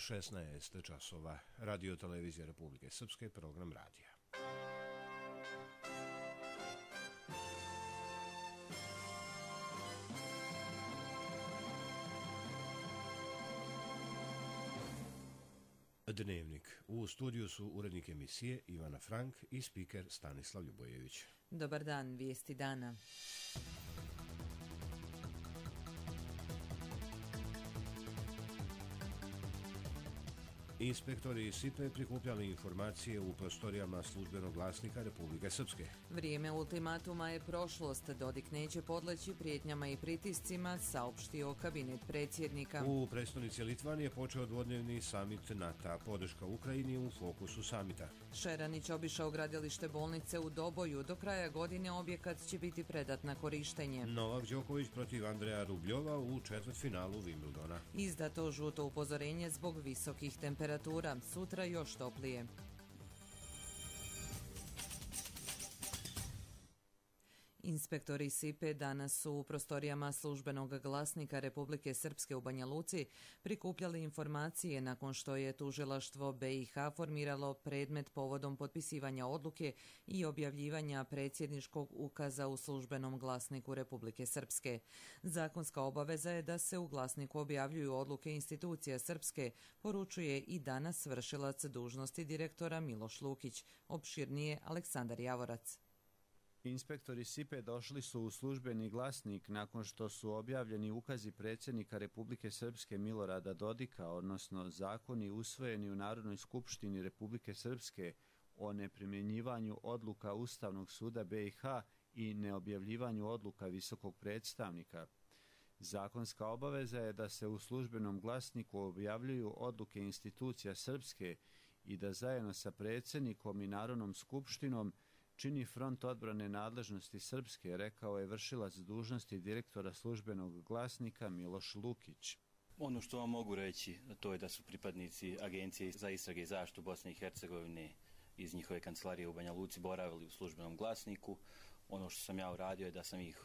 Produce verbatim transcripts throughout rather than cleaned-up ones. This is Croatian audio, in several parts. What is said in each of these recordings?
šesnaest časova. Radio televizija Republike Srpske, program radija. Dnevnik. U studiju su urednik emisije Ivana Frank i spiker Stanislav Ljubojević. Dobar dan, vijesti dana. Inspektori S I P E prikupljali informacije u prostorijama službenog glasnika Republike Srpske. Vrijeme ultimatuma je prošlost. Dodik neće podleći prijetnjama i pritiscima, saopštio kabinet predsjednika. U prestonici Litvanije počeo dvodnevni samit NATO. Podrška Ukrajini u fokusu samita. Šeranić obišao gradilište bolnice u Doboju. Do kraja godine objekat će biti predat na korištenje. Novak Đoković protiv Andreja Rubljova u četvrtfinalu Wimbledona. Izdato žuto upozorenje zbog visokih temperatura. Sutra još toplije. Inspektori S I P E danas su u prostorijama službenog glasnika Republike Srpske u Banja Luci prikupljali informacije nakon što je tužilaštvo B i H formiralo predmet povodom potpisivanja odluke i objavljivanja predsjedničkog ukaza u službenom glasniku Republike Srpske. Zakonska obaveza je da se u glasniku objavljuju odluke institucija Srpske, poručuje i danas vršilac dužnosti direktora Miloš Lukić. Opširnije Aleksandar Javorac. Inspektori S I P E došli su u službeni glasnik nakon što su objavljeni ukazi predsjednika Republike Srpske Milorada Dodika, odnosno zakoni usvojeni u Narodnoj skupštini Republike Srpske o neprimjenjivanju odluka Ustavnog suda B i H i neobjavljivanju odluka visokog predstavnika. Zakonska obaveza je da se u službenom glasniku objavljuju odluke institucija Srpske i da zajedno sa predsjednikom i Narodnom skupštinom čini front odbrane nadležnosti Srpske, rekao je vršilac dužnosti direktora službenog glasnika Miloš Lukić. Ono što vam mogu reći, to je da su pripadnici Agencije za istrage i zaštitu Bosne i Hercegovine iz njihove kancelarije u Banja Luci boravili u službenom glasniku. Ono što sam ja uradio je da sam ih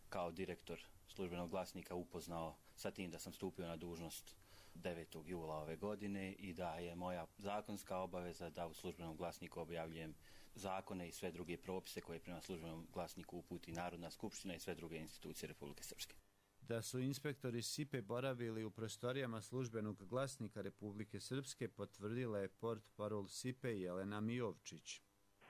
kao direktor službenog glasnika upoznao sa tim da sam stupio na dužnost devetog jula ove godine i da je moja zakonska obaveza da u službenom glasniku objavljujem zakone i sve druge propise koje prema službenom glasniku uputi Narodna skupština i sve druge institucije Republike Srpske. Da su inspektori S I P E boravili u prostorijama službenog glasnika Republike Srpske potvrdila je portparol S I P E Jelena Mijovčić.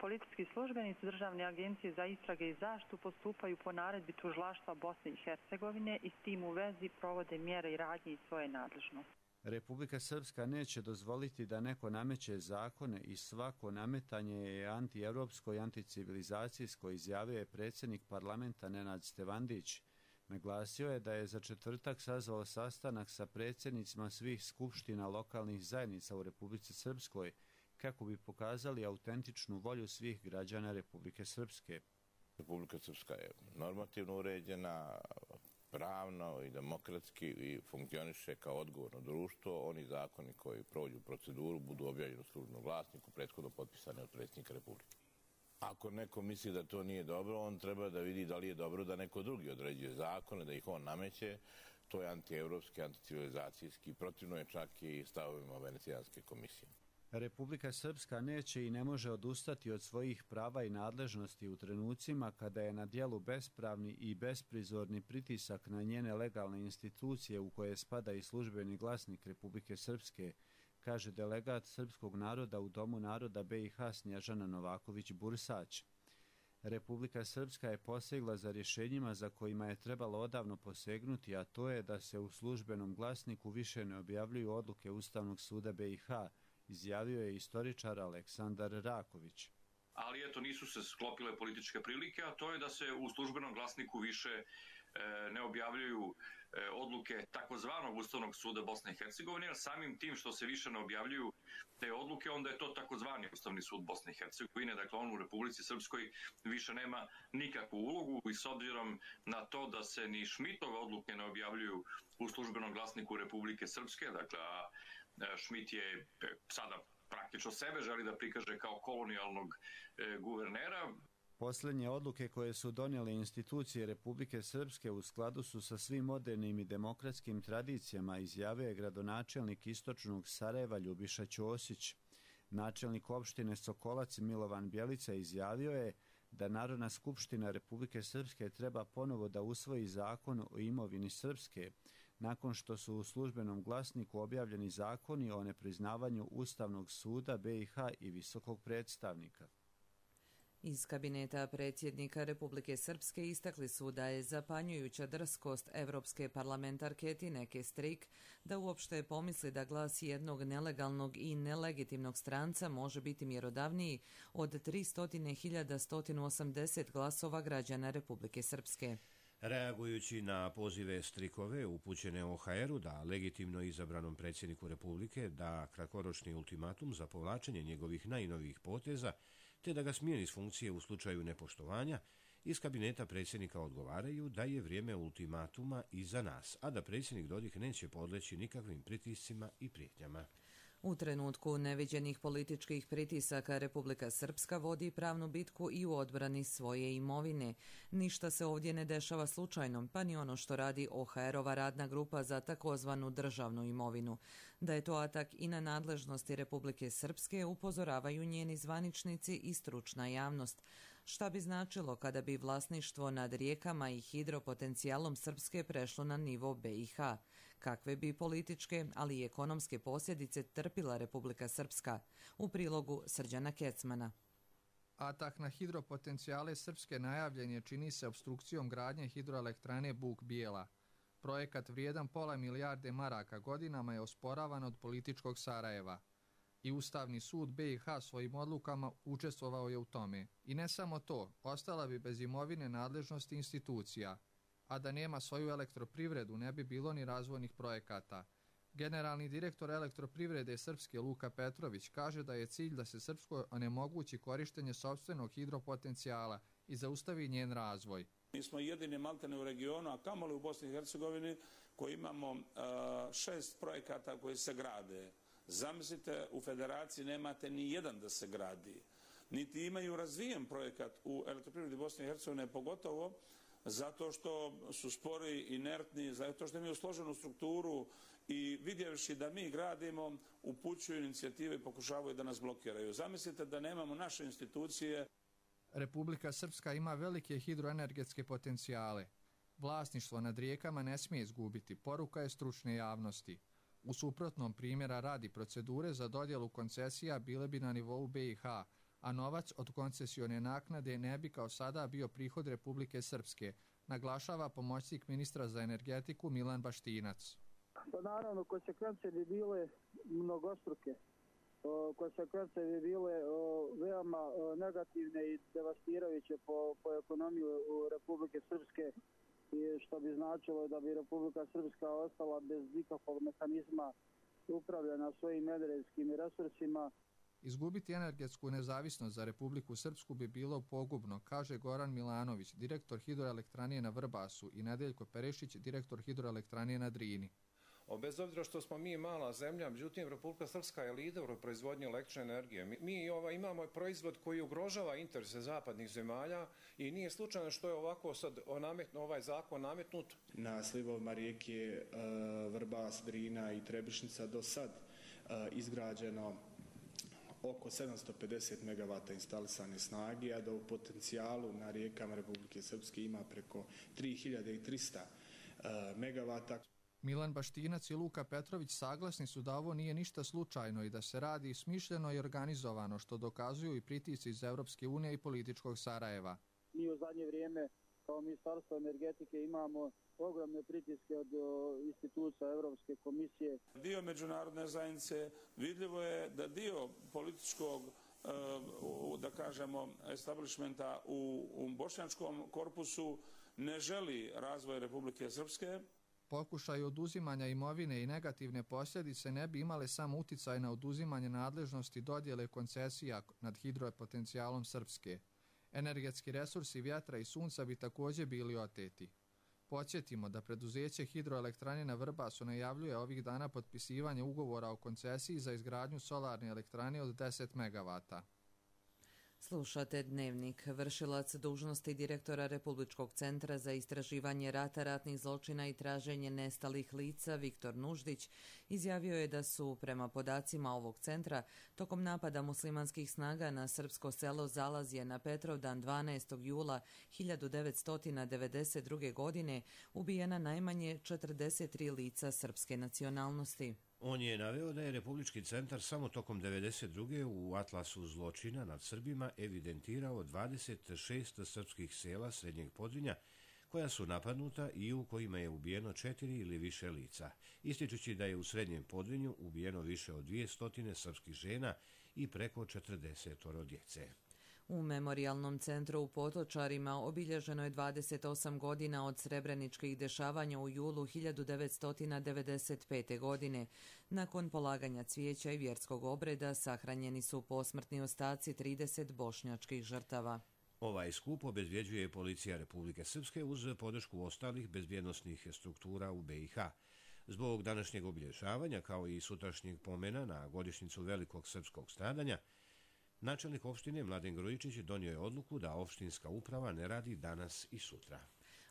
Policijski službenici Državne agencije za istrage i zaštitu postupaju po naredbi tužilaštva Bosne i Hercegovine i s tim u vezi provode mjere i radnje iz svoje nadležnosti. Republika Srpska neće dozvoliti da neko nameće zakone i svako nametanje je antievropsko i anticivilizacijsko, izjavio je predsjednik parlamenta Nenad Stevandić. Naglasio je da je za četvrtak sazvao sastanak sa predsjednicima svih skupština lokalnih zajednica u Republici Srpskoj kako bi pokazali autentičnu volju svih građana Republike Srpske. Republika Srpska je normativno uređena, pravno i demokratski i funkcioniše kao odgovorno društvo. Oni zakoni koji prođu proceduru budu objavljeni u službenom glasniku, prethodno potpisani od predsjednika Republike. Ako neko misli da to nije dobro, on treba da vidi da li je dobro da neko drugi određuje zakone, da ih on nameće. To je antievropski, anticivilizacijski, protivno je čak i stavovima Venecijanske komisije. Republika Srpska neće i ne može odustati od svojih prava i nadležnosti u trenucima kada je na djelu bespravni i besprizorni pritisak na njene legalne institucije u koje spada i službeni glasnik Republike Srpske, kaže delegat srpskog naroda u Domu naroda B i H Snježana Novaković-Bursać. Republika Srpska je posegla za rješenjima za kojima je trebalo odavno posegnuti, a to je da se u službenom glasniku više ne objavljuju odluke Ustavnog suda B i H, izjavio je istoričar Aleksandar Raković. Ali eto, nisu se sklopile političke prilike, a to je da se u službenom glasniku više e, ne objavljuju e, odluke takozvanog Ustavnog suda Bosne i Hercegovine, jer samim tim što se više ne objavljuju te odluke, onda je to takozvani Ustavni sud Bosne i Hercegovine, dakle on u Republici Srpskoj više nema nikakvu ulogu i s obzirom na to da se ni Šmitove odluke ne objavljuju u službenom glasniku Republike Srpske, dakle a Šmit je sada praktično sebe želi da prikaže kao kolonijalnog e, guvernera. Posljednje odluke koje su donijele institucije Republike Srpske u skladu su sa svim modernim i demokratskim tradicijama, izjavio je gradonačelnik istočnog Sarajeva Ljubiša Ćosić. Načelnik opštine Sokolac Milovan Bjelica izjavio je da Narodna skupština Republike Srpske treba ponovo da usvoji zakon o imovini Srpske, nakon što su u službenom glasniku objavljeni zakoni o nepriznavanju Ustavnog suda B i H i visokog predstavnika. Iz kabineta predsjednika Republike Srpske istakli su da je zapanjujuća drskost evropske parlamentarke Tineke Strik da uopšte pomisli da glas jednog nelegalnog i nelegitimnog stranca može biti mjerodavniji od tri stotine hiljada sto osamdeset glasova građana Republike Srpske. Reagujući na pozive Strikove upućene O H R-u da legitimno izabranom predsjedniku Republike da kratkoročni ultimatum za povlačenje njegovih najnovijih poteza te da ga smijeni s funkcije u slučaju nepoštovanja, iz kabineta predsjednika odgovaraju da je vrijeme ultimatuma iza nas, a da predsjednik Dodik neće podleći nikakvim pritiscima i prijetnjama. U trenutku neviđenih političkih pritisaka Republika Srpska vodi pravnu bitku i u odbrani svoje imovine. Ništa se ovdje ne dešava slučajno, pa ni ono što radi O H R-ova radna grupa za takozvanu državnu imovinu. Da je to atak i na nadležnosti Republike Srpske upozoravaju njeni zvaničnici i stručna javnost. Šta bi značilo kada bi vlasništvo nad rijekama i hidropotencijalom Srpske prešlo na nivo B i H? Kakve bi političke, ali i ekonomske posljedice trpila Republika Srpska? U prilogu Srđana Kecmana. Atak na hidropotencijale Srpske najavljen je, čini se, obstrukcijom gradnje hidroelektrane Buk Bijela. Projekat vrijedan pola milijarde maraka godinama je osporavan od političkog Sarajeva. I Ustavni sud B i H svojim odlukama učestvovao je u tome. I ne samo to, ostala bi bez imovine nadležnosti institucija, a da nema svoju elektroprivredu ne bi bilo ni razvojnih projekata. Generalni direktor elektroprivrede Srpske Luka Petrović kaže da je cilj da se Srpskoj onemogući korištenje sopstvenog hidropotencijala i zaustavi njen razvoj. Mi smo jedini maltene u regionu, a kamoli u Bosni i Hercegovini, koji imamo uh, šest projekata koji se grade. Zamislite, u federaciji nemate ni jedan da se gradi. Niti imaju razvijen projekat u elektroprivredi Bosne i Hercegovine, pogotovo zato što su spori, inertni, zato što imaju složenu strukturu i vidjevši da mi gradimo, upućuju inicijative i pokušavaju da nas blokiraju. Zamislite da nemamo naše institucije. Republika Srpska ima velike hidroenergetske potencijale. Vlasništvo nad rijekama ne smije izgubiti, poruka je stručne javnosti. U suprotnom, primjera radi, procedure za dodjelu koncesija bile bi na nivou B i H, a novac od koncesione naknade ne bi kao sada bio prihod Republike Srpske, naglašava pomoćnik ministra za energetiku Milan Baštinac. Pa naravno, konsekvence bi bile mnogostruke. Konsekvence bi bile veoma negativne i devastirajuće po, po ekonomiju Republike Srpske, i što bi značilo da bi Republika Srpska ostala bez nikakvog mehanizma upravljanja svojim energetskim resursima. Izgubiti energetsku nezavisnost za Republiku Srpsku bi bilo pogubno, kaže Goran Milanović, direktor hidroelektrane na Vrbasu, i Nedeljko Perešić, direktor hidroelektrane na Drini. Bez obzira što smo mi mala zemlja, međutim Republika Srpska je lider u proizvodnji električne energije. Mi, mi ovaj, imamo proizvod koji ugrožava interese zapadnih zemalja i nije slučajno što je ovako sad nametno, ovaj zakon nametnut. Na slivovima rijeke uh, Vrbas, Drina i Trebišnica do sad uh, izgrađeno oko sedamsto pedeset megavata instalisane snage, a da u potencijalu na rijekama Republike Srpske ima preko tri hiljade trista uh, megavata. Milan Baštinac i Luka Petrović saglasni su da ovo nije ništa slučajno i da se radi smišljeno i organizovano, što dokazuju i pritisci iz Evropske unije i političkog Sarajeva. Mi u zadnje vrijeme kao Ministarstvo energetike imamo ogromne pritiske od institucija Evropske komisije. Dio međunarodne zajednice, vidljivo je da dio političkog, da kažemo, establishmenta u, u bošnjačkom korpusu ne želi razvoj Republike Srpske. Pokušaj oduzimanja imovine i negativne posljedice ne bi imale samo uticaj na oduzimanje nadležnosti dodjele koncesija nad hidropotencijalom Srpske. Energetski resursi vjetra i sunca bi također bili oteti. Podsjetimo da preduzeće hidroelektrane na Vrbasu najavljuje ovih dana potpisivanje ugovora o koncesiji za izgradnju solarne elektrane od deset megavata. Slušate Dnevnik. Vršilac dužnosti direktora Republičkog centra za istraživanje rata, ratnih zločina i traženje nestalih lica Viktor Nuždić izjavio je da su, prema podacima ovog centra, tokom napada muslimanskih snaga na srpsko selo Zalazje na Petrovdan dvanaestog jula hiljadu devetsto devedeset druge. godine ubijena najmanje četrdeset tri lica srpske nacionalnosti. On je naveo da je Republički centar samo tokom devedeset druge. u atlasu zločina nad Srbima evidentirao dvadeset šest srpskih sela Srednjeg Podrinja koja su napadnuta i u kojima je ubijeno četiri ili više lica, ističući da je u Srednjem Podrinju ubijeno više od dvjesto srpskih žena i preko četrdeset djece. U Memorijalnom centru u Potočarima obilježeno je dvadeset osam godina od srebreničkih dešavanja u julu hiljadu devetsto devedeset pete. godine. Nakon polaganja cvijeća i vjerskog obreda sahranjeni su posmrtni ostaci trideset bošnjačkih žrtava. Ovaj skup obezbjeđuje policija Republike Srpske uz podršku ostalih bezbjednosnih struktura u be i ha. Zbog današnjeg obilježavanja, kao i sutrašnjeg pomena na godišnjicu velikog srpskog stradanja, načelnik opštine Mladen Grujičić donio je odluku da opštinska uprava ne radi danas i sutra.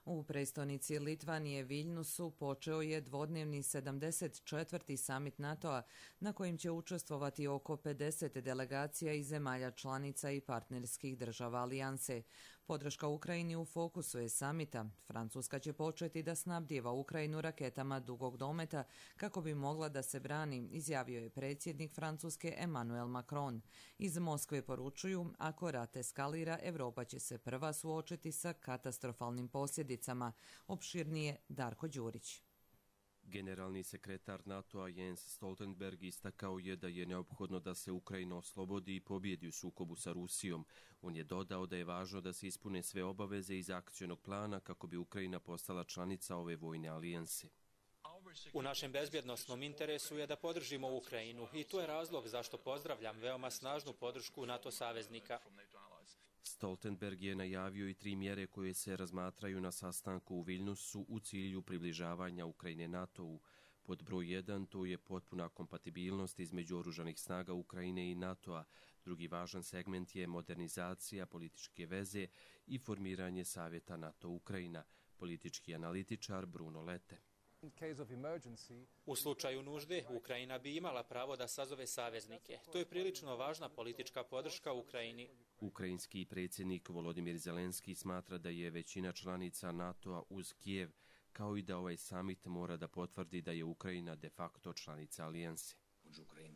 U prestonici Litvanije Viljnusu počeo je dvodnevni sedamdeset četvrti samit NATO-a na kojim će učestvovati oko pedeset delegacija iz zemalja članica i partnerskih država alijanse. Podrška Ukrajini u fokusu je samita. Francuska će početi da snabdijeva Ukrajinu raketama dugog dometa kako bi mogla da se brani, izjavio je predsjednik Francuske Emmanuel Macron. Iz Moskve poručuju, ako rat eskalira, Evropa će se prva suočiti sa katastrofalnim posljedicama. Opširnije Darko Đurić. Generalni sekretar NATO-a Jens Stoltenberg istakao je da je neophodno da se Ukrajina oslobodi i pobjedi u sukobu sa Rusijom. On je dodao da je važno da se ispune sve obaveze iz akcionog plana kako bi Ukrajina postala članica ove vojne alijanse. U našem bezbjednosnom interesu je da podržimo Ukrajinu i to je razlog zašto pozdravljam veoma snažnu podršku NATO saveznika. Stoltenberg je najavio i tri mjere koje se razmatraju na sastanku u Viljnusu u cilju približavanja Ukrajine NATO-u. Pod broj jedan to je potpuna kompatibilnost između oružanih snaga Ukrajine i NATO-a. Drugi važan segment je modernizacija političke veze i formiranje Savjeta NATO-Ukrajina, politički analitičar Bruno Lete. U slučaju nužde, Ukrajina bi imala pravo da sazove saveznike. To je prilično važna politička podrška Ukrajini. Ukrajinski predsjednik Volodimir Zelenski smatra da je većina članica NATO-a uz Kijev, kao i da ovaj samit mora da potvrdi da je Ukrajina de facto članica alijanse.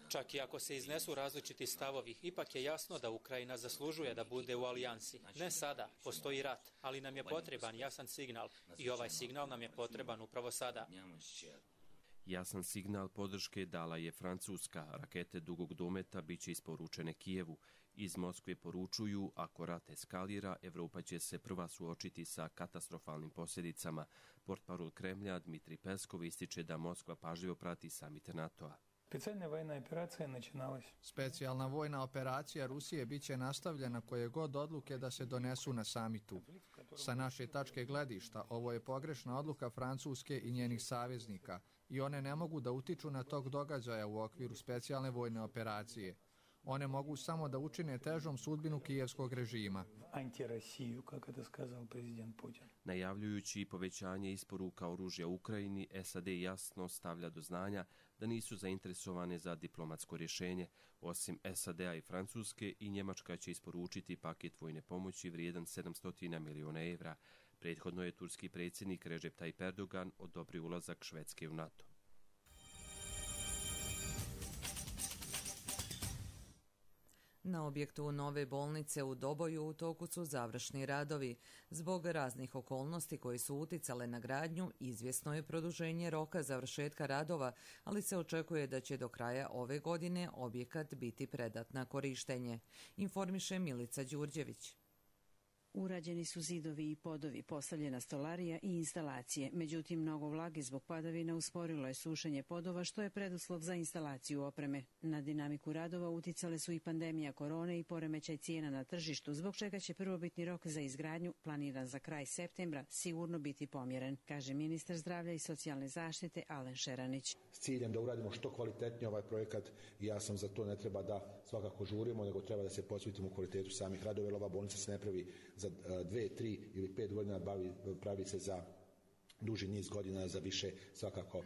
Čak i ako se iznesu različiti stavovi, ipak je jasno da Ukrajina zaslužuje da bude u alijansi. Ne sada, postoji rat, ali nam je potreban jasan signal i ovaj signal nam je potreban upravo sada. Jasan signal podrške dala je Francuska. Rakete dugog dometa bit će isporučene Kijevu. Iz Moskve poručuju, ako rat eskalira, Evropa će se prva suočiti sa katastrofalnim posljedicama. Portparol Kremlja Dmitrij Peskov ističe da Moskva pažljivo prati samit NATO-a. Specijalna vojna operacija Rusije bit će nastavljena koje god odluke da se donesu na samitu. Sa naše tačke gledišta, ovo je pogrešna odluka Francuske i njenih saveznika i one ne mogu da utiču na tok događaja u okviru specijalne vojne operacije. One mogu samo da učine težom sudbinu kijevskog režima. Najavljujući povećanje isporuka oružja Ukrajini, es a de jasno stavlja do znanja da nisu zainteresovane za diplomatsko rješenje. Osim es a de-a i Francuske, i Njemačka će isporučiti paket vojne pomoći vrijedan sedamsto miliona evra. Prethodno je turski predsjednik Recep Tayyip Erdogan odobrio ulazak Švedske u NATO. Na objektu nove bolnice u Doboju u toku su završni radovi. Zbog raznih okolnosti koje su uticale na gradnju, izvjesno je produženje roka završetka radova, ali se očekuje da će do kraja ove godine objekat biti predat na korištenje, informiše Milica Đurđević. Urađeni su zidovi i podovi, postavljena stolarija i instalacije. Međutim, mnogo vlage zbog padavina usporilo je sušenje podova, što je preduslov za instalaciju opreme. Na dinamiku radova uticale su i pandemija korone i poremećaj cijena na tržištu, zbog čega će prvobitni rok za izgradnju, planiran za kraj septembra, sigurno biti pomjeren, kaže ministar zdravlja i socijalne zaštite Alen Šeranić. S ciljem da uradimo što kvalitetnije ovaj projekat, ja sam za to, ne treba da svakako žurimo, nego treba da se posvetimo u kvalitetu samih radova, jer ova bolnica se ne pravi za dve, tri ili pet godina, bavi, pravi se za duži niz godina, za više svakako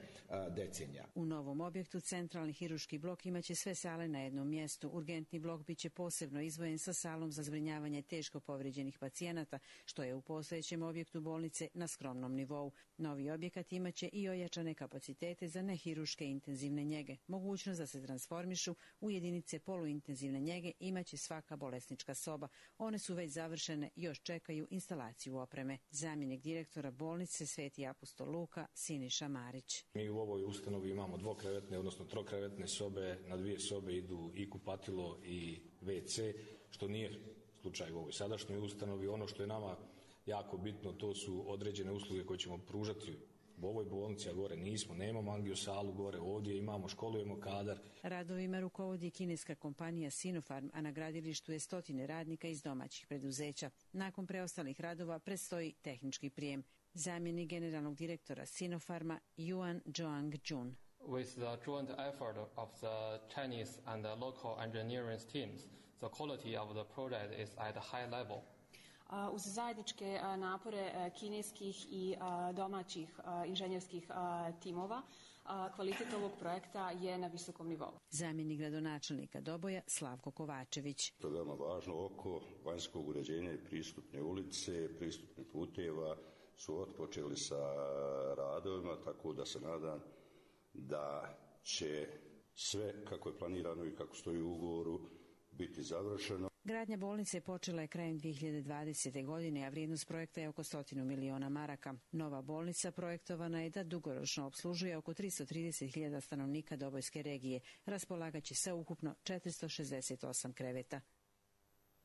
decenija. U novom objektu centralni hiruški blok imaće sve sale na jednom mjestu. Urgentni blok biće posebno izdvojen sa salom za zbrinjavanje teško povrijeđenih pacijenata, što je u postojećem objektu bolnice na skromnom nivou. Novi objekat imaće i ojačane kapacitete za nehiruške intenzivne njege. Mogućnost da se transformišu u jedinice poluintenzivne njege imaće svaka bolesnička soba. One su već završene, još čekaju instalaciju opreme. Zamjenik direktora bolnice Sveti apostol Luka Siniša Marić. Mi u ovoj ustanovi imamo dvokrevetne, odnosno trokrevetne sobe, na dvije sobe idu i kupatilo i ve ce, što nije slučaj u ovoj sadašnjoj ustanovi. Ono što je nama jako bitno, to su određene usluge koje ćemo pružati u ovoj bolnici, a gore nismo, nemamo angiosalu gore, ovdje imamo, školujemo kadar. Radovima rukovodi kineska kompanija Sinopharm, a na gradilištu je stotine radnika iz domaćih preduzeća. Nakon preostalih radova predstoji tehnički prijem. Zamjenik generalnog direktora Sinopharma Yuan Zhuang-jun. With the joint effort of the Chinese and the local engineering teams, the quality of the project is at a high level. Uz zajedničke napore kineskih i domaćih inženjerskih timova, kvalitet ovog projekta je na visokom nivou. Zamjenik gradonačelnika Doboja Slavko Kovačević. To je veoma važno oko vanjskog uređenja i pristupne ulice, pristupnih puteva su otpočeli sa radovima, tako da se nadam da će sve kako je planirano i kako stoji u ugovoru biti završeno. Gradnja bolnice počela je krajem dvije hiljade dvadesete. godine, a vrijednost projekta je oko stotinu miliona maraka. Nova bolnica projektovana je da dugoročno obslužuje oko tristo trideset hiljada stanovnika Dobojske regije. Raspolagaće sa ukupno četiristo šezdeset osam kreveta.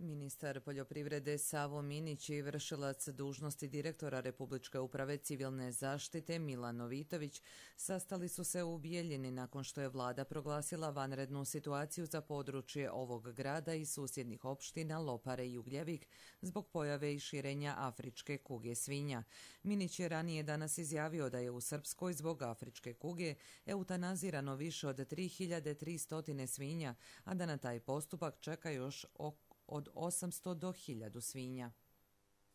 Ministar poljoprivrede Savo Minić i vršilac dužnosti direktora Republičke uprave civilne zaštite Milan Novitović sastali su se u Bijeljini nakon što je vlada proglasila vanrednu situaciju za područje ovog grada i susjednih opština Lopare i Ugljevik zbog pojave i širenja afričke kuge svinja. Minić je ranije danas izjavio da je u Srpskoj zbog afričke kuge eutanazirano više od tri hiljade tristo svinja, a da na taj postupak čeka još oko od osamsto do hiljadu svinja.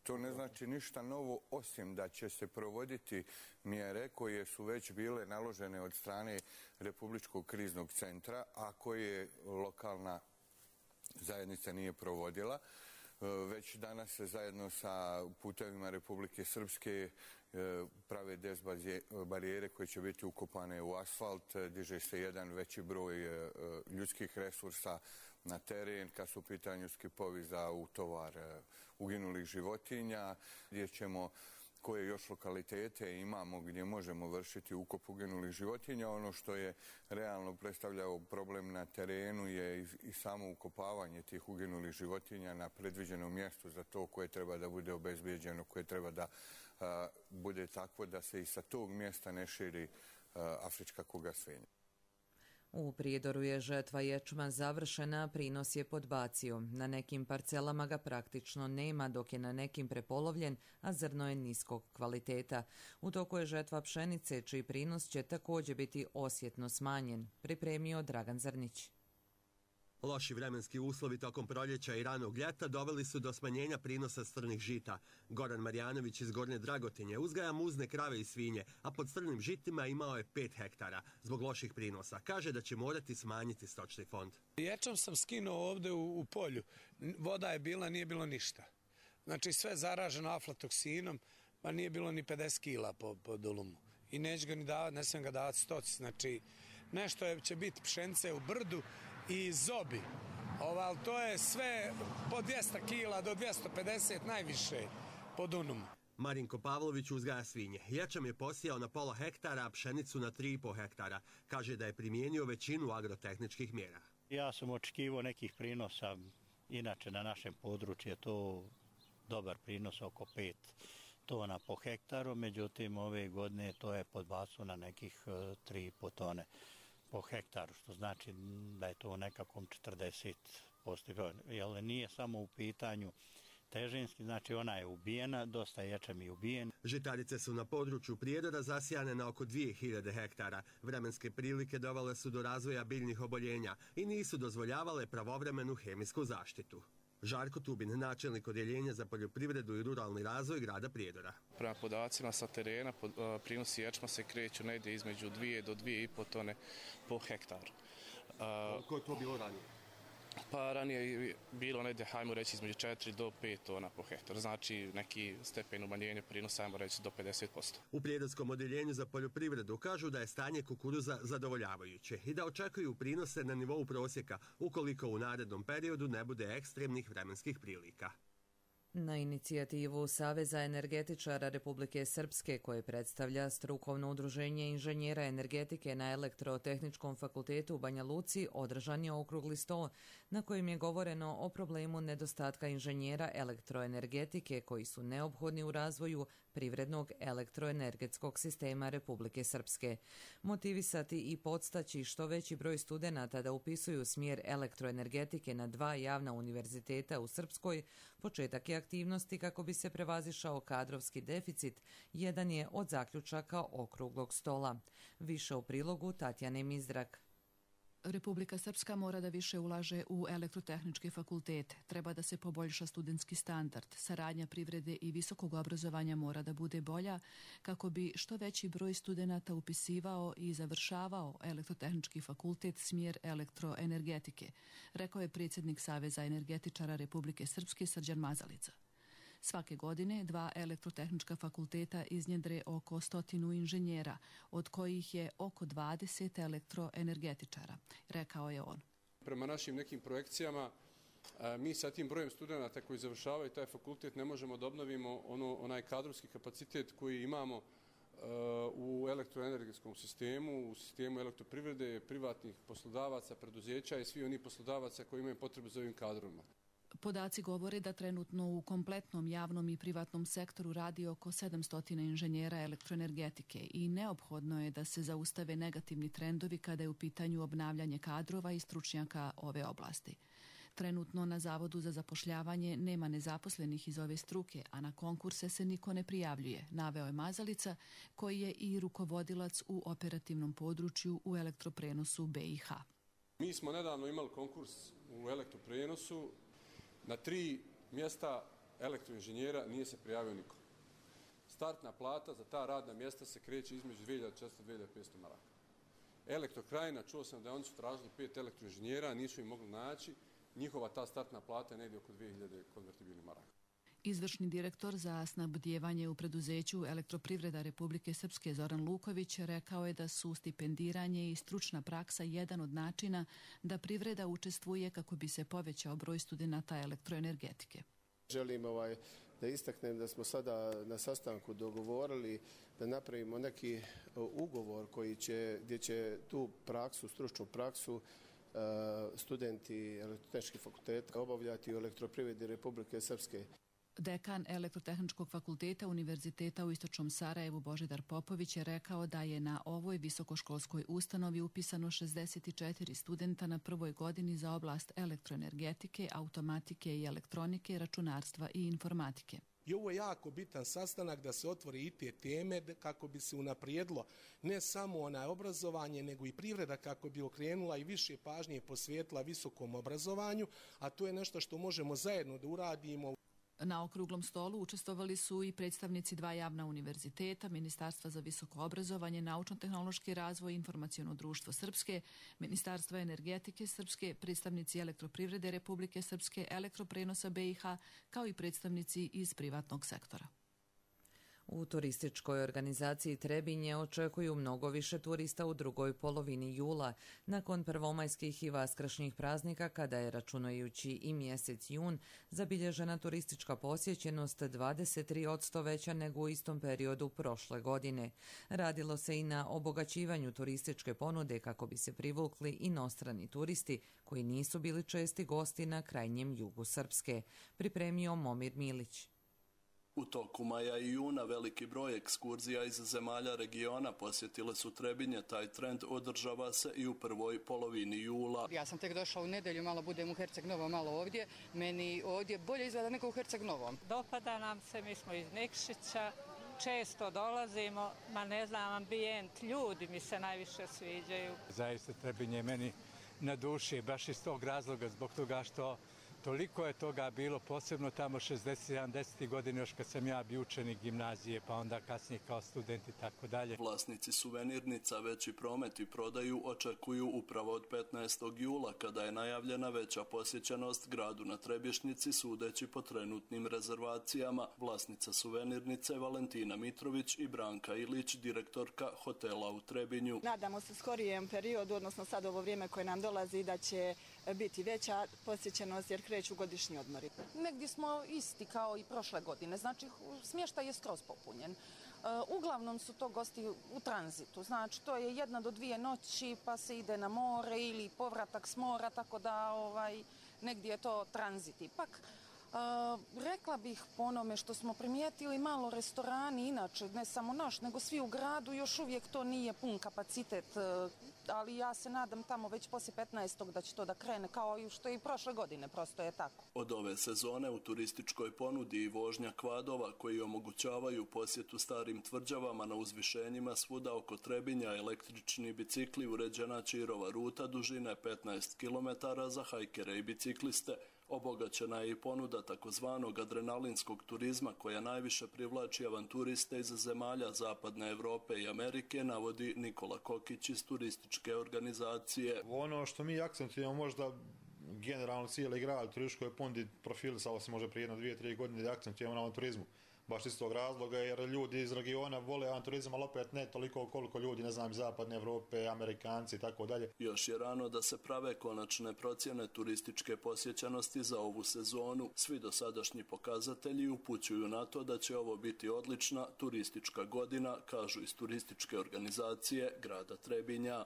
To ne znači ništa novo, osim da će se provoditi mjere koje su već bile naložene od strane Republičkog kriznog centra, a koje lokalna zajednica nije provodila. Već danas se zajedno sa putevima Republike Srpske prave barijere koje će biti ukopane u asfalt, diže se jedan veći broj ljudskih resursa na teren, kad su u pitanju skipovi za utovar uginulih životinja, gdje ćemo koje još lokalitete imamo gdje možemo vršiti ukop uginulih životinja. Ono što je realno predstavljao problem na terenu je i samo ukopavanje tih uginulih životinja na predviđenom mjestu za to koje treba da bude obezbijeđeno, koje treba da a, bude takvo da se i sa tog mjesta ne širi a, afrička kuga svinja. U Prijedoru je žetva ječma završena, prinos je podbacio. Na nekim parcelama ga praktično nema, dok je na nekim prepolovljen, a zrno je niskog kvaliteta. U toku je žetva pšenice, čiji prinos će također biti osjetno smanjen, pripremio Dragan Zrnić. Loši vremenski uslovi tokom proljeća i ranog ljeta doveli su do smanjenja prinosa strnih žita. Goran Marjanović iz Gornje Dragotinje uzgaja muzne krave i svinje, a pod strnim žitima imao je pet hektara. Zbog loših prinosa kaže da će morati smanjiti stočni fond. Ječam sam skinuo ovdje u, u polju. Voda je bila, nije bilo ništa. Znači sve zaraženo aflatoksinom, pa nije bilo ni pedeset kila po, po dolumu. I neću ga ni davati, ne smijem ga davati stoci. Znači nešto je, će biti pšence u brdu i zobi. Oval, to je sve po dvjesto kila do dvjesto pedeset najviše po dunumu. Marinko Pavlović uzgaja svinje. Ječam je posijao na pola hektara, a pšenicu na tri i po hektara. Kaže da je primijenio većinu agrotehničkih mjera. Ja sam očekivao nekih prinosa, inače na našem području to dobar prinos oko pet tona po hektaru, međutim ove godine to je podbacilo na nekih tri i po tone po hektaru, što znači da je to u nekakvom četrdeset posto. Jer nije samo u pitanju težinski, znači ona je ubijena, dosta ječam i ubijen. Žitarice su na području Prijedora zasijane na oko dvije hiljade hektara. Vremenske prilike dovele su do razvoja biljnih oboljenja i nisu dozvoljavale pravovremenu hemijsku zaštitu. Žarko Tubin, načelnik odjeljenja za poljoprivredu i ruralni razvoj grada Prijedora. Prema podacima sa terena, prinosi ječma se kreću negdje između dvije do dvije i po tone po hektaru. Koliko je to bilo ranije? Pa ranije je bilo negdje, hajmo reći, između četiri do pet tona po hektaru. Znači neki stepen umanjenja prinosa, hajmo reći, do pedeset posto. U Prijedorskom odjeljenju za poljoprivredu kažu da je stanje kukuruza zadovoljavajuće i da očekuju prinose na nivou prosjeka ukoliko u narednom periodu ne bude ekstremnih vremenskih prilika. Na inicijativu Saveza energetičara Republike Srpske, koje predstavlja strukovno udruženje inženjera energetike na Elektrotehničkom fakultetu u Banja Luci, održan je okrugli sto na kojem je govoreno o problemu nedostatka inženjera elektroenergetike koji su neophodni u razvoju privrednog elektroenergetskog sistema Republike Srpske. Motivisati i podstaći što veći broj studenata da upisuju smjer elektroenergetike na dva javna univerziteta u Srpskoj, početak je aktivnosti kako bi se prevazišao kadrovski deficit, jedan je od zaključaka okruglog stola. Više u prilogu Tatjane Mizdrak. Republika Srpska mora da više ulaže u elektrotehničke fakultete. Treba da se poboljša studentski standard. Saradnja privrede i visokog obrazovanja mora da bude bolja kako bi što veći broj studenata upisivao i završavao elektrotehnički fakultet smjer elektroenergetike, rekao je predsjednik Saveza energetičara Republike Srpske Srđan Mazalica. Svake godine dva elektrotehnička fakulteta iznjedre oko stotinu inženjera, od kojih je oko dvadeset elektroenergetičara, rekao je on. Prema našim nekim projekcijama, mi sa tim brojem studenata koji završavaju taj fakultet ne možemo da obnovimo ono, onaj kadrovski kapacitet koji imamo u elektroenergetskom sistemu, u sistemu elektroprivrede, privatnih poslodavaca, preduzeća i svi oni poslodavaca koji imaju potrebu za ovim kadrovima. Podaci govore da trenutno u kompletnom javnom i privatnom sektoru radi oko sedamsto inženjera elektroenergetike i neophodno je da se zaustave negativni trendovi kada je u pitanju obnavljanje kadrova i stručnjaka ove oblasti. Trenutno na Zavodu za zapošljavanje nema nezaposlenih iz ove struke, a na konkurse se niko ne prijavljuje, naveo je Mazalica, koji je i rukovodilac u operativnom području u elektroprenosu B i H. Mi smo nedavno imali konkurs u elektroprenosu. Na tri mjesta elektroinženjera nije se prijavio niko. Startna plata za ta radna mjesta se kreće između dvije hiljade četiristo do dvije hiljade petsto maraka. Elektrokrajina, čuo sam da oni su tražili pet elektroinženjera, nisu im mogli naći. Njihova ta startna plata je negdje oko dvije hiljade konvertibilnih maraka. Izvršni direktor za snabdijevanje u preduzeću Elektroprivreda Republike Srpske Zoran Luković rekao je da su stipendiranje i stručna praksa jedan od načina da privreda učestvuje kako bi se povećao broj studenata elektroenergetike. Želim ovaj, da istaknem da smo sada na sastanku dogovorili da napravimo neki ugovor koji će, gdje će tu praksu, stručnu praksu studenti elektrotehničkih fakulteta obavljati u Elektroprivredi Republike Srpske. Dekan Elektrotehničkog fakulteta Univerziteta u Istočnom Sarajevu Božidar Popović je rekao da je na ovoj visokoškolskoj ustanovi upisano šezdeset četiri studenta na prvoj godini za oblast elektroenergetike, automatike i elektronike, računarstva i informatike. I ovo je jako bitan sastanak da se otvori i te teme kako bi se unaprijedilo ne samo onaj obrazovanje, nego i privreda kako bi okrenula i više pažnje posvetila visokom obrazovanju, a to je nešto što možemo zajedno da uradimo. Na okruglom stolu učestvovali su i predstavnici dva javna univerziteta, Ministarstva za visoko obrazovanje, naučno-tehnološki razvoj i informaciono društvo Srpske, Ministarstva energetike Srpske, predstavnici Elektroprivrede Republike Srpske, Elektroprenosa B i H, kao i predstavnici iz privatnog sektora. U turističkoj organizaciji Trebinje očekuju mnogo više turista u drugoj polovini jula, nakon prvomajskih i vaskršnjih praznika, kada je, računajući i mjesec jun, zabilježena turistička posjećenost dvadeset tri posto veća nego u istom periodu prošle godine. Radilo se i na obogaćivanju turističke ponude kako bi se privukli inostrani turisti koji nisu bili česti gosti na krajnjem jugu Srpske, pripremio Momir Milić. U toku maja i juna veliki broj ekskurzija iz zemalja regiona posjetile su Trebinje. Taj trend održava se i u prvoj polovini jula. Ja sam tek došla u nedelju, malo budem u Herceg Novom, malo ovdje. Meni ovdje bolje izgleda nego u Herceg Novom. Dopada nam se, mi smo iz Nikšića, često dolazimo, ma ne znam, ambijent, ljudi mi se najviše sviđaju. Zaista Trebinje meni na duši, baš iz tog razloga, zbog toga što toliko je toga bilo, posebno tamo šezdesetih sedamdesetih godina, još kad sam ja bio učenik gimnazije, pa onda kasnije kao student i tako dalje. Vlasnici suvenirnica veći promet i prodaju očekuju upravo od petnaestog jula, kada je najavljena veća posjećenost gradu na Trebišnjici, sudeći po trenutnim rezervacijama. Vlasnica suvenirnice Valentina Mitrović i Branka Ilić, direktorka hotela u Trebinju. Nadamo se skorijem periodu, odnosno sad ovo vrijeme koje nam dolazi, da će biti veća posjećenost jer kreću godišnji odmori. Negdje smo isti kao i prošle godine, znači smještaj je skroz popunjen. Uglavnom su to gosti u tranzitu, znači to je jedna do dvije noći pa se ide na more ili povratak s mora, tako da ovaj, negdje je to tranzit ipak. Uh, rekla bih po onome što smo primijetili, malo restorani, inače ne samo naš, nego svi u gradu, još uvijek to nije pun kapacitet, uh, ali ja se nadam tamo već poslije petnaestog da će to da krene, kao i što je i prošle godine, prosto je tako. Od ove sezone u turističkoj ponudi i vožnja kvadova koji omogućavaju posjetu starim tvrđavama na uzvišenjima svuda oko Trebinja, električni bicikli, uređena Čirova ruta dužine petnaest kilometara za hajkere i bicikliste. Obogaćena je i ponuda takozvanog adrenalinskog turizma koja najviše privlači avanturiste iz zemalja Zapadne Evrope i Amerike, navodi Nikola Kokić iz turističke organizacije. Ono što mi akcentujemo možda generalno cijeli grad u turističkoj ponudi profilisalo se može prije jedno, dvije, tri godine da akcentujemo na avanturizmu. Baš iz tog razloga jer ljudi iz regiona vole avanturizam, ali opet ne toliko koliko ljudi, ne znam, iz Zapadne Evrope, Amerikanci i tako dalje. Još je rano da se prave konačne procjene turističke posjećenosti za ovu sezonu. Svi dosadašnji pokazatelji upućuju na to da će ovo biti odlična turistička godina, kažu iz turističke organizacije grada Trebinja.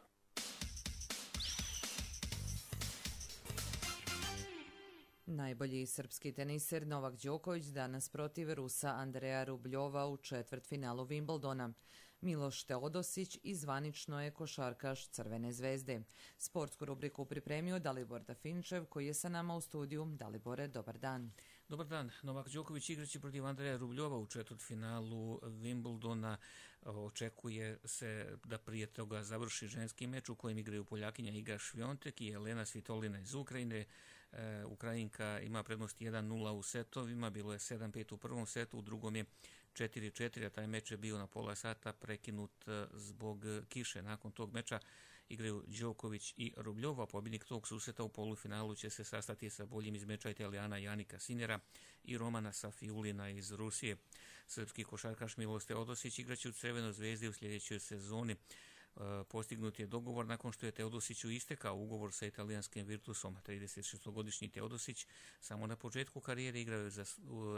Najbolji srpski teniser Novak Đoković danas protiv Rusa Andreja Rubljova u četvrtfinalu Wimbledona. Miloš Teodosić i zvanično je košarkaš Crvene zvezde. Sportsku rubriku pripremio Dalibor Dafinčev koji je sa nama u studiju. Dalibore, dobar dan. Dobar dan. Novak Đoković igraće protiv Andreja Rubljova u četvrtfinalu Wimbledona. Očekuje se da prije toga završi ženski meč u kojem igraju Poljakinja Iga Šviontek i Jelena Svitolina iz Ukrajine. E, Ukrajinka ima prednost jedan nula u setovima, bilo je sedam pet u prvom setu, u drugom je četiri četiri, a taj meč je bio na pola sata prekinut zbog kiše. Nakon tog meča igraju Đoković i Rubljova. Pobjednik tog susreta u polufinalu će se sastati sa boljim iz meča Italijana Janika Sinera i Romana Safiulina iz Rusije. Srpski košarkaš Miloš Teodosić igraće u Crvenoj zvezdi u sljedećoj sezoni. Postignut je dogovor nakon što je Teodosiću istekao ugovor sa italijanskim Virtusom. tridesetšestogodišnji Teodosić samo na početku karijere igrao za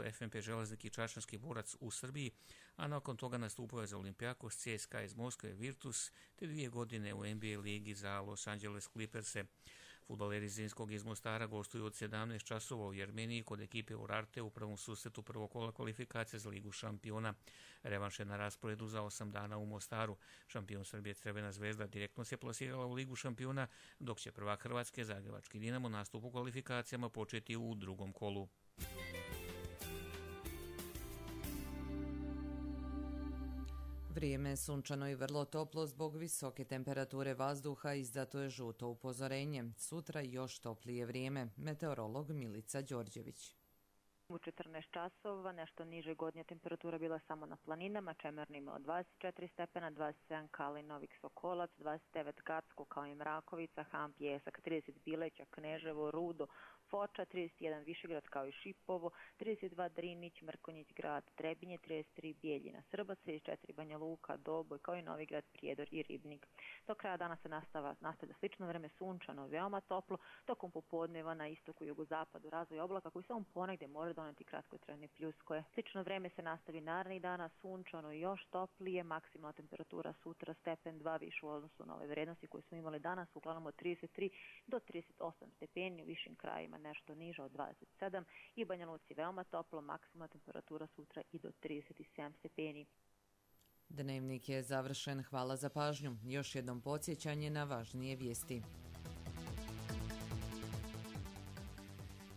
F M P Železnik i Čačanski borac u Srbiji, a nakon toga nastupao je za Olimpijakos, C S K A iz Moskve, Virtus, te dvije godine u N B A ligi za Los Angeles Clippers-e. Fudbaleri Zrinskog iz Mostara gostuju od sedamnaest časova u Jermeniji kod ekipe Urarte u prvom susretu prvog kola kvalifikacije za Ligu šampiona. Revanš je na rasporedu za osam dana u Mostaru. Šampion Srbije Crvena zvezda direktno se plasirala u Ligu šampiona, dok će prvak Hrvatske Zagrebački Dinamo nastup u kvalifikacijama početi u drugom kolu. Vrijeme je sunčano i vrlo toplo zbog visoke temperature vazduha, izdato je žuto upozorenje. Sutra još toplije vrijeme. Meteorolog Milica Đorđević. U četrnaest časova nešto niže godnja temperatura bila samo na planinama, Čemernima od dvadeset četiri stepena, dvadeset sedam Kalin, Novik Sokolac, dvadeset devet Gacko kao i Mrakovica, Han, Pjesak, trideset Bileća, Kneževo, Rudo, Foča, trideset jedan Višegrad kao i Šipovo, trideset dva Drinić, Mrkonjić grad, Trebinje, trideset tri Bijeljina, Srbac, trideset četiri Banja Luka, Doboj kao i Novigrad, Prijedor i Ribnik. Do kraja dana se nastava, nastavlja slično vreme, sunčano, veoma toplo, tokom popodneva na istoku i jugozapadu razvoj oblaka koji samo ponegdje može da doneti kratkotrajne pljuskoje. Slično vreme se nastavi narednih dana, sunčano i još toplije, maksimalna temperatura sutra stepen dva više u odnosu na ove vrednosti koje smo imali danas, uglavnom od trideset tri do trideset osam stepeni, u višim krajima nešto niže od dvadeset sedam i Banja Luci veoma toplo, maksimalna temperatura sutra i do trideset sedam stepeni. Dnevnik je završen, hvala za pažnju. Još jednom podsjećanje na važnije vijesti.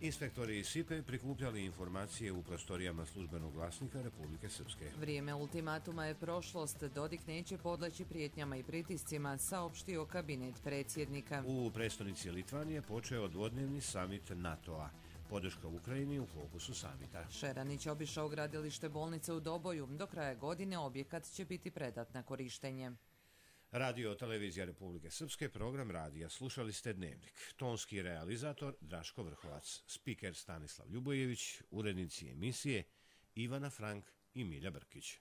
Inspektori iz SIPE prikupljali informacije u prostorijama službenog glasnika Republike Srpske. Vrijeme ultimatuma je prošlost. Dodik neće podleći prijetnjama i pritiscima, saopštio kabinet predsjednika. U prestonici Litvanije počeo dvodnevni samit NATO-a. Podrška Ukrajini u fokusu samita. Šeranić obišao gradilište bolnice u Doboju. Do kraja godine objekat će biti predat na korištenje. Radio Televizija Republike Srpske, program radija. Slušali ste Dnevnik. Tonski realizator Draško Vrhovac, spiker Stanislav Ljubojević, urednici emisije Ivana Frank i Milja Brkić.